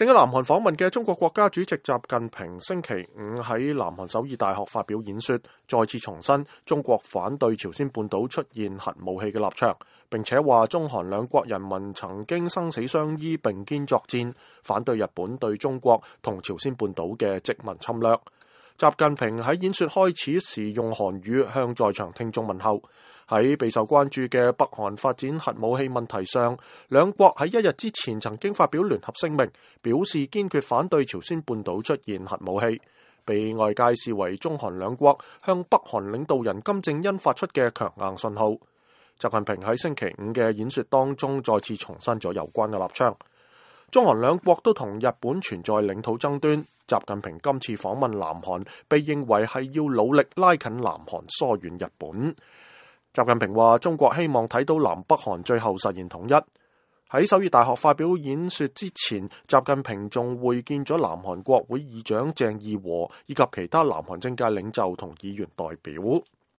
正喺南韓訪問嘅中國國家主席習近平星期五喺南韓首爾大學發表演說，再次重申中國反對朝鮮半島出現核武器嘅立場，並且話中韓兩國人民曾經生死相依並肩作戰，反對日本對中國同朝鮮半島嘅殖民侵略。習近平喺演說開始時用韓語向在場聽眾問候。喺備受關注嘅北韓發展核武器問題上，兩國喺一日之前曾經發表聯合聲明，表示堅決反對朝鮮半島出現核武器，被外界視為中韓兩國向北韓領導人金正恩發出嘅強硬信號。習近平喺星期五嘅演說當中再次重申咗有關嘅立場。中韓兩國都同日本存在領土爭端，習近平今次訪問南韓，被認為係要努力拉近南韓疏遠日本。習近平話：中國希望睇到南北韓最後實現統一。喺首爾大學發表演說之前，習近平仲會見咗南韓國會議長鄭義和以及其他南韓政界領袖同議員代表。